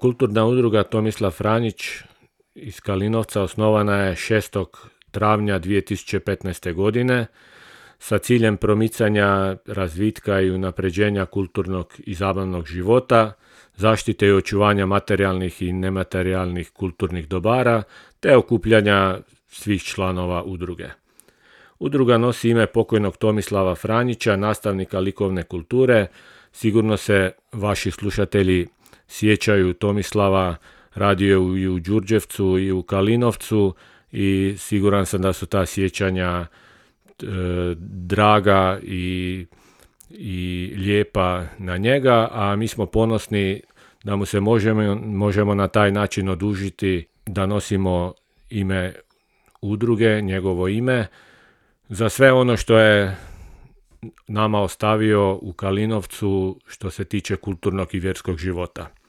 Kulturna udruga Tomislav Franjić iz Kalinovca osnovana je 6. travnja 2015. godine sa ciljem promicanja razvitka i unapređenja kulturnog i zabavnog života, zaštite i očuvanja materijalnih i nematerijalnih kulturnih dobara, te okupljanja svih članova udruge. Udruga nosi ime pokojnog Tomislava Franjića, nastavnika likovne kulture. Sigurno se vaši slušatelji sjećaju Tomislava, radio je i u Đurđevcu i u Kalinovcu i siguran sam da su ta sjećanja draga i lijepa na njega, a mi smo ponosni da mu se možemo na taj način odužiti da nosimo ime udruge, njegovo ime, za sve ono što je nama ostavio u Kalinovcu što se tiče kulturnog i vjerskog života.